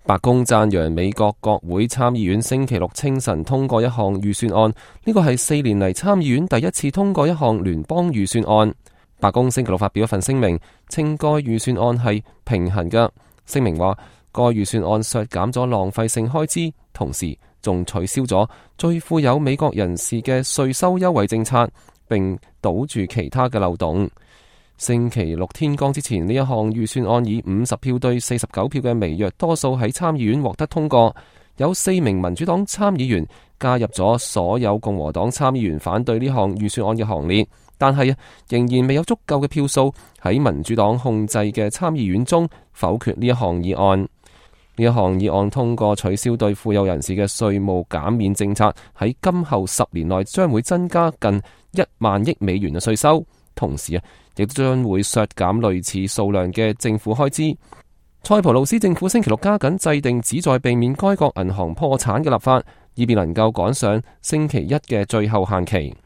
白宮讚揚美國國會參議院星期六清晨通過一項預算案，呢個係4年嚟參議院第一次通過一項聯邦預算案。白宮星期六發表一份聲明，稱該預算案係平衡嘅。聲明話，該預算案削減咗浪費性開支，同時仲取消咗最富有美國人士嘅稅收優惠政策，並堵住其他嘅漏洞。星期六天光之前，呢一項預算案以50票對49票嘅微弱多數喺參議院獲得通過。有4名民主黨參議員加入咗所有共和黨參議員反對呢項預算案嘅行列，但係仍然未有足夠嘅票數喺民主黨控制嘅參議院中否決呢一項議案。呢一項議案通過取消對富有人士嘅稅務減免政策，喺今後10年內將會增加近1萬億美元嘅稅收，同時亦將會削減類似數量嘅政府開支。塞浦路斯政府星期六加緊制定旨在避免該國銀行破產嘅立法，以便能夠趕上星期一嘅最後限期。